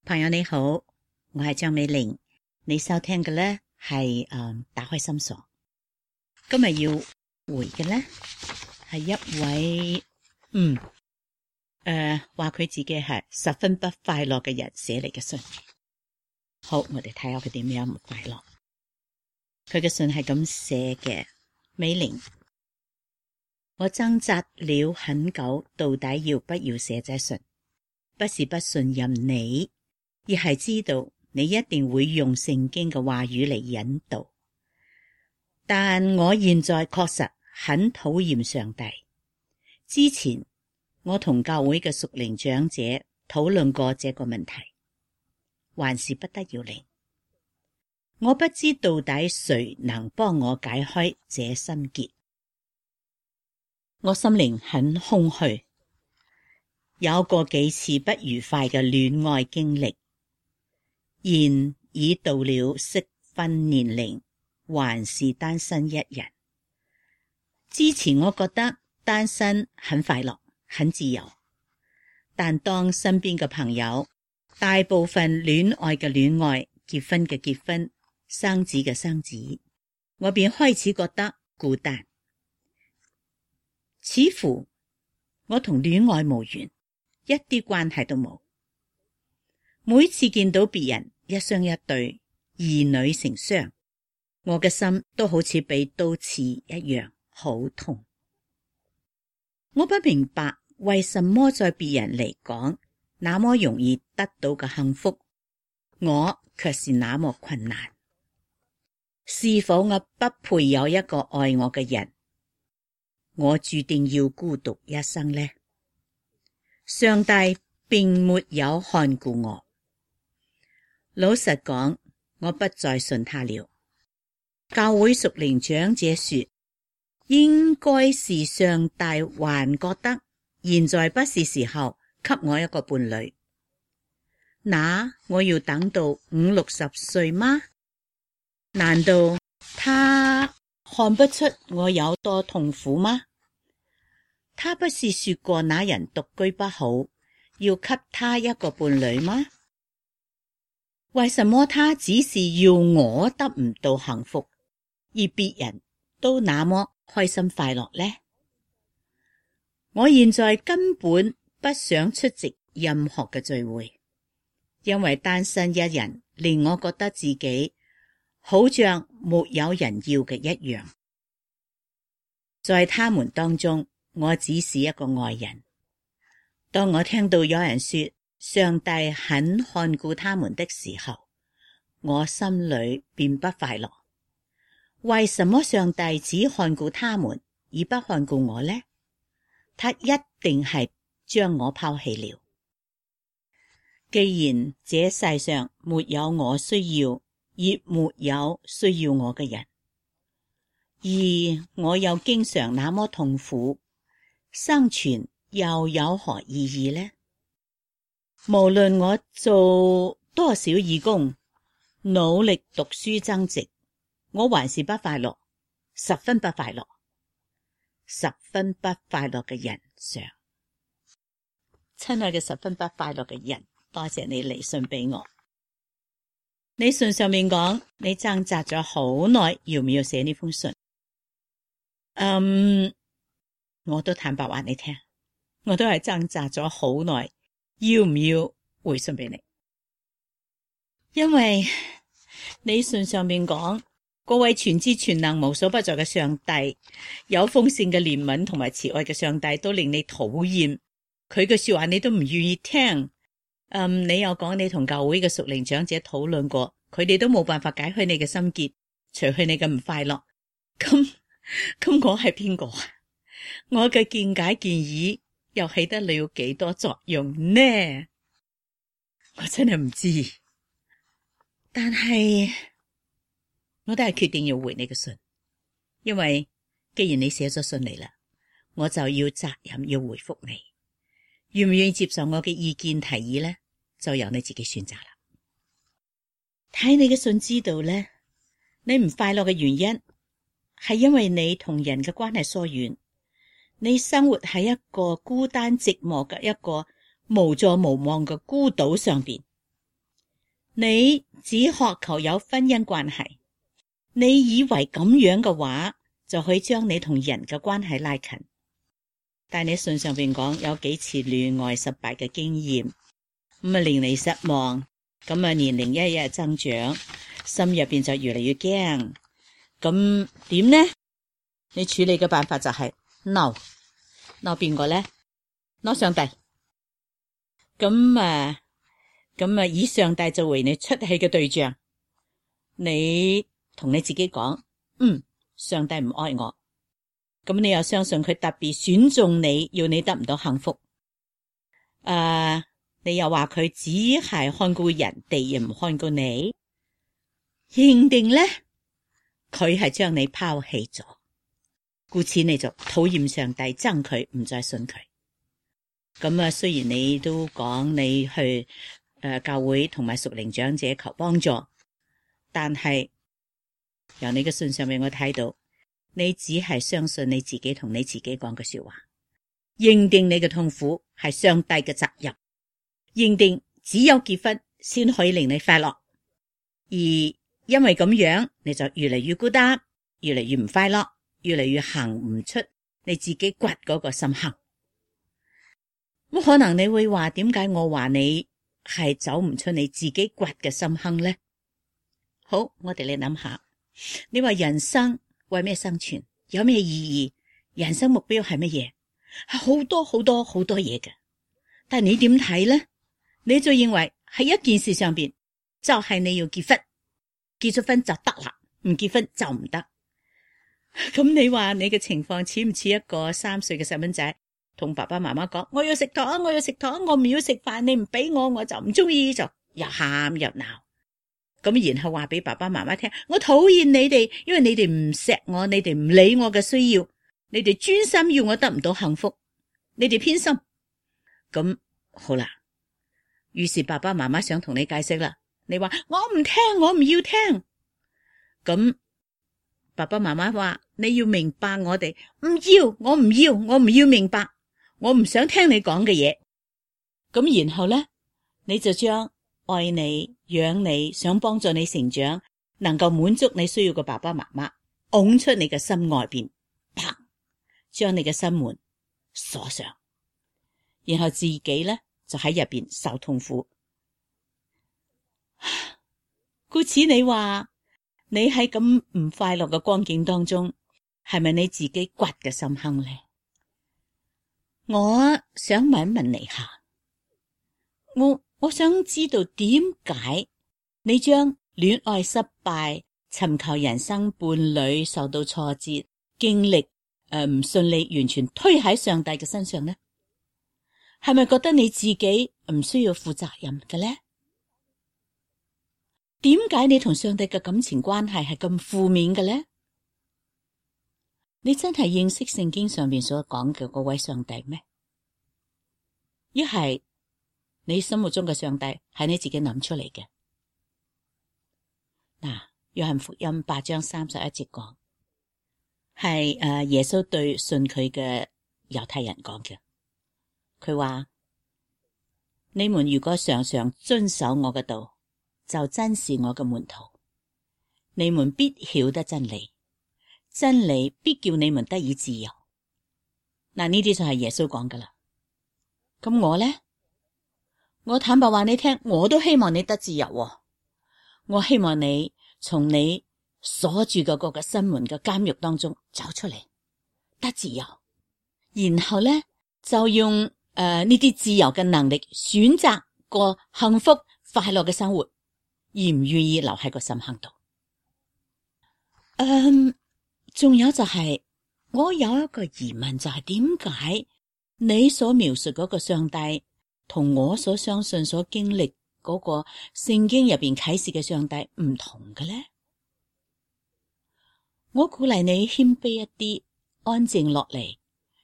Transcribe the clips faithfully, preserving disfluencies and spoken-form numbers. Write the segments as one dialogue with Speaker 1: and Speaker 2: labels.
Speaker 1: 朋友你好，我係張美玲，你收聽嘅呢係誒打開心鎖。今日要回嘅呢係一位嗯誒話佢自己係十分不快樂嘅人寫嚟嘅信。好，我哋睇下佢點樣唔快樂。佢嘅信係咁寫嘅：美玲，我掙扎了很久，到底要不要寫這信？不是不信任你，而係知道你一定會用聖經嘅話語嚟引導。但我現在確實很討厭上帝。之前我同教會嘅屬靈長者討論過這個問題，還是不得要領。我不知到底誰能幫我解開這心結。我心靈很空虛，有過幾次不愉快嘅戀愛經歷，現已到了適婚年齡，還是單身一人。之前我覺得單身很快樂，很自由，但當身邊嘅朋友大部分戀愛嘅戀愛，結婚嘅結婚，生子嘅生子，我便開始覺得孤單，似乎我同戀愛無緣，一啲關係都冇。每次見到別人一雙一對，兒女成雙，我嘅心都好似被刀刺一樣，好痛。我不明白為什麼在別人嚟講那麼容易得到嘅幸福，我卻是那麼困難。是否我不配有一個愛我嘅人？我注定要孤獨一生呢？上帝並沒有看顧我。老實講，我不再信他了。教會屬靈長者說，應該是上帝還覺得現在不是時候給我一個伴侶。那我要等到五六十歲嗎？難道他看不出我有多痛苦嗎？他不是說過那人獨居不好，要給他一個伴侶嗎？為什麼他只是要我得唔到幸福，而別人都那麼開心快樂呢？我現在根本不想出席任何嘅聚會，因為單身一人令我覺得自己好像沒有人要嘅一樣。在他們當中，我只是一個外人。當我聽到有人說上帝很看顧他們的時候，我心裏便不快樂。為什麼上帝只看顧他們而不看顧我呢？他一定係將我拋棄了。既然這世上沒有我需要，亦沒有需要我嘅人，而我又經常那麼痛苦，生存又有何意義呢？無論我做多少義工，努力讀書增值，我還是不快樂，十分不快樂，十分不快樂嘅人上。親愛嘅十分不快樂嘅人，多謝你嚟信俾我。你信上面講，你掙扎咗好耐，要唔要寫呢封信？嗯，我都坦白話你聽，我都係掙扎咗好耐，要唔要回信俾你？因為你信上面講，各位全知全能無所不在嘅上帝，有豐盛嘅憐憫同埋慈愛嘅上帝，都令你討厭，佢嘅說話你都唔願意聽。嗯，你又講你同教會嘅屬靈長者討論過，佢哋都冇辦法解開你嘅心結，除去你嘅唔快樂。咁咁我係邊個啊？我嘅見解建議又起得了幾多作用呢？我真係唔知。但係我都係決定要回你嘅信，因為既然你寫咗信嚟啦，我就要責任要回復你。願唔願意接受我嘅意見提議呢？就由你自己選擇啦。睇你嘅信知道呢，你唔快樂嘅原因係因為你同人嘅關係疏遠，你生活喺一個孤單寂寞嘅一個無助無望嘅孤島上邊，你只渴求有婚姻關係，你以為咁樣嘅話就可以將你同人嘅關係拉近。但你信上邊講有幾次戀愛失敗嘅經驗，咁啊令你失望，咁啊年齡一日增長，心入邊就越嚟越驚。咁點呢？你處理嘅辦法就係鬧鬧邊個呢？鬧上帝。咁啊咁啊以上帝就為你出氣嘅對象，你同你自己講，嗯，上帝唔愛我。咁你又相信佢特別選中你，要你得唔到幸福？誒、呃，你又話佢只係看顧人哋，而唔看顧你，認定呢？佢係將你拋棄咗，故此你就討厭上帝，憎佢，唔再信佢。咁啊，雖然你都講你去誒、呃、教會同埋屬靈長者求幫助，但係由你嘅信上面我睇到，你只係相信你自己同你自己講嘅說話，認定你嘅痛苦係上帝嘅責任，認定只有結婚先可以令你快樂，而因為咁樣你就越嚟越孤單，越嚟越唔快樂，越嚟越行唔出你自己掘嗰個深坑。咁可能你會話，點解我話你係走唔出你自己掘嘅深坑呢？好，我哋嚟諗下，你話人生為咩生存？有咩意義？人生目標係乜嘢？係好多好多好多嘢嘅。但係你點睇呢？你就認為喺一件事上邊，就係你要結婚，結咗婚就得啦，唔結婚就唔得。咁你話你嘅情況似唔似一個三歲嘅細蚊仔同爸爸媽媽講，我要食糖，我要食糖，我唔要食飯，你唔俾我，我就唔中意，就又喊又鬧。咁然後話俾爸爸媽媽聽，我討厭你哋，因為你哋唔錫我，你哋唔理我嘅需要，你哋專心要我得唔到幸福，你哋偏心。咁好啦，於是爸爸媽媽想同你解釋啦，你話我唔聽，我唔要聽。咁爸爸媽媽話你要明白我哋，唔要，我唔要，我唔要明白，我唔想聽你講嘅嘢。咁然後呢，你就將愛你、養你、想幫助你成長、能夠滿足你需要嘅爸爸媽媽，拱出你嘅心外邊，啪，將你嘅心門鎖上，然後自己呢，就喺入邊受痛苦。故此你話你喺咁唔快樂嘅光景當中，係咪你自己掘嘅深坑呢？我想問一問你下，我我想知道點解你將戀愛失敗、尋求人生伴侶受到挫折、經歷誒唔順利，完全推喺上帝嘅身上呢？係咪覺得你自己唔需要負責任嘅呢？點解你同上帝嘅感情關係係咁負面嘅呢？你真係認識聖經上面所講嘅嗰位上帝咩？一係你心目中嘅上帝係你自己諗出嚟嘅。嗱，約翰福音八章三十一節講，係誒耶穌對信佢嘅猶太人講嘅。佢話：你們如果常常遵守我嘅道，就真是我嘅門徒。你們必曉得真理，真理必叫你們得以自由。嗱，呢啲就係耶穌講噶啦。咁我呢？我坦白話你聽，我都希望你得自由喎。我希望你從你鎖住嘅嗰個心門嘅監獄當中走出嚟，得自由。然後呢，就用誒呢啲自由嘅能力，選擇過幸福快樂嘅生活，而唔願意留喺個深坑度。嗯，仲有就係、是、我有一個疑問，就係點解你所描述嗰個上帝同我所相信所經歷嗰個聖經入邊啟示嘅上帝唔同嘅呢？我鼓勵你謙卑一啲，安靜落嚟，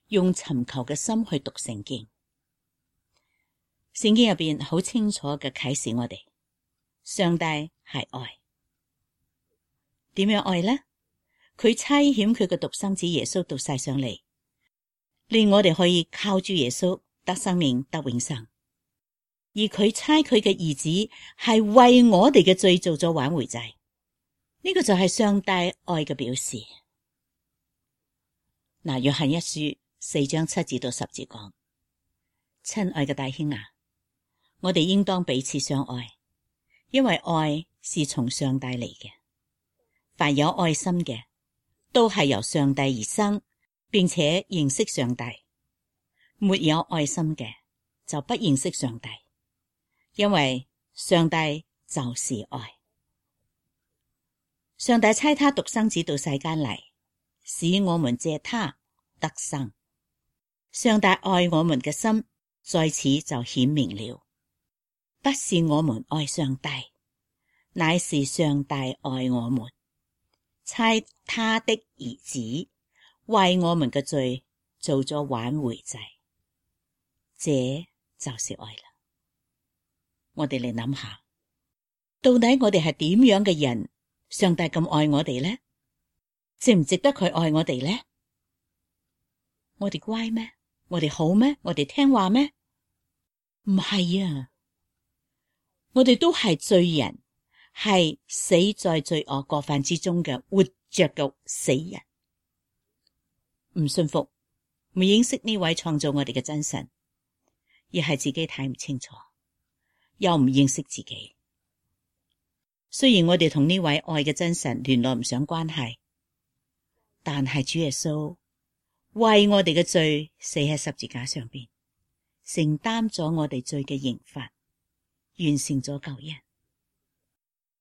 Speaker 1: 用尋求嘅心去讀聖經。聖經入邊好清楚嘅啟示我哋，上帝係愛。點樣愛呢？佢差遣佢嘅獨生子耶穌到世上嚟，令我哋可以靠住耶穌得生命得永生。而佢差佢嘅兒子係為我哋嘅罪做咗挽回祭，呢個就係上帝愛嘅表示。嗱，約翰一書四章七至到十節講：親愛嘅弟兄啊，我哋應當彼此相愛，因為愛是從上帝嚟嘅。凡有愛心嘅，都係由上帝而生，並且認識上帝。沒有愛心嘅，就不認識上帝，因為上帝就是愛。上帝差他獨生子到世間嚟，使我們借他得生。上帝愛我們嘅心在此就顯明了，不是我們愛上帝，乃是上帝愛我們，差他的兒子為我們嘅罪做咗挽回祭，這就是愛啦。我哋嚟諗下，到底我哋係點樣嘅人，上帝咁愛我哋呢？值唔值得佢愛我哋呢？我哋乖咩？我哋好咩？我哋聽話咩？唔係啊，我哋都係罪人，係死在罪惡過犯之中嘅活着嘅死人。唔信服，唔認識呢位創造我哋嘅真神，而係自己睇唔清楚，又唔認識自己。雖然我哋同呢位愛嘅真神聯絡唔上關係，但係主耶穌為我哋嘅罪死喺十字架上邊，承擔咗我哋罪嘅刑罰，完成咗救恩。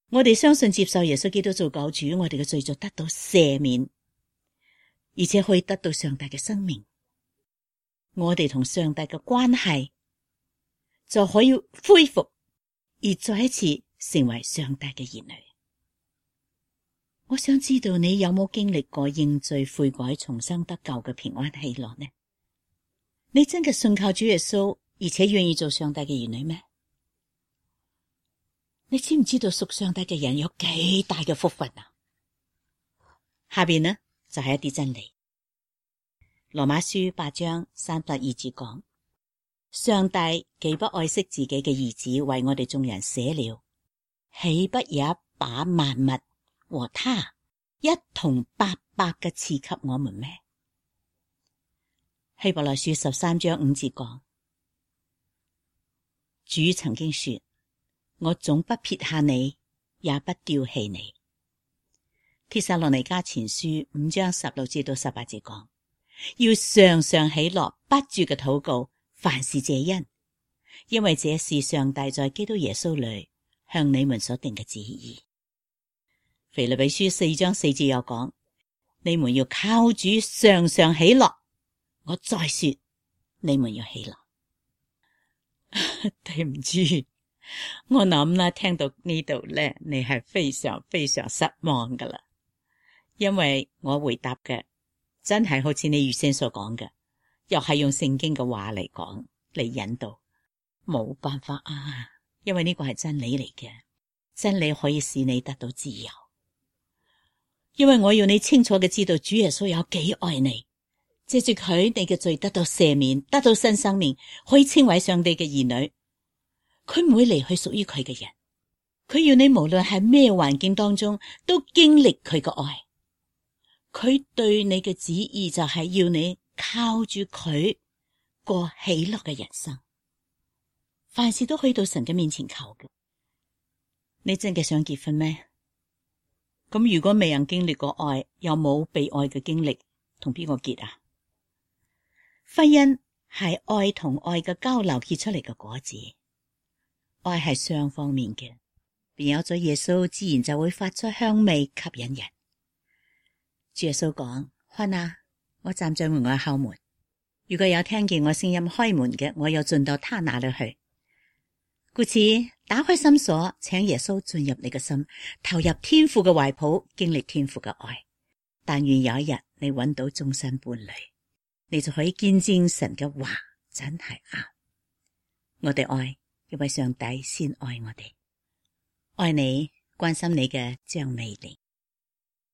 Speaker 1: 我哋相信接受耶穌基督做救主，我哋嘅罪就得到赦免，而且可以得到上帝嘅生命。我哋同上帝嘅關係就可以恢復，而再一次成為上帝嘅兒女。我想知道你有冇經歷過認罪悔改重生得救嘅平安喜樂呢？你真嘅信靠主耶穌，而且願意做上帝嘅兒女咩？你知唔知道屬上帝嘅人有幾大嘅福分啊？下邊呢就係、是、一啲真理。羅馬書八章三十二節講：上帝既不愛惜自己嘅兒子為我哋眾人捨了，豈不也把萬物和他一同白白嘅賜給我們咩？希伯來書十三章五節講：主曾經說，我總不撇下你，也不丟棄你。帖撒羅尼迦前書五章十六至到十八節講：要常常喜樂，不住嘅禱告，凡事謝恩，因為這是上帝在基督耶穌裏向你們所定嘅旨意。腓立比書四章四節又講：你們要靠主常常喜樂。我再說，你們要喜樂。對唔住，我諗啦，聽到呢度咧，你係非常非常失望噶啦，因為我回答嘅真係好似你預先所講嘅，又係用聖經嘅話嚟講嚟引導，冇辦法啊，因為呢個係真理嚟嘅，真理可以使你得到自由。因為我要你清楚嘅知道主耶穌有幾愛你，借住佢，你嘅罪得到赦免，得到新生命，可以稱為上帝嘅兒女。佢唔會離去屬於佢嘅人，佢要你無論喺咩環境當中都經歷佢嘅愛。佢對你嘅旨意就係要你靠住佢過喜樂嘅人生，凡事都可以到神嘅面前求嘅。你真嘅想結婚咩？咁如果未人經歷過愛，又冇被愛嘅經歷，同邊個結啊？婚姻係愛同愛嘅交流結出嚟嘅果子，愛係雙方面嘅，便有咗耶穌，自然就會發出香味吸引人。主耶穌講：看啊，我站在門外叩門，如果有聽見我聲音開門嘅，我又進到他那裏去。故此，打開心鎖，請耶穌進入你嘅心，投入天父嘅懷抱，經歷天父嘅愛。但願有一日你揾到終身伴侶，你就可以見證神嘅話真係啱。我哋愛，因為上帝先愛我哋。愛你，關心你嘅張美玲。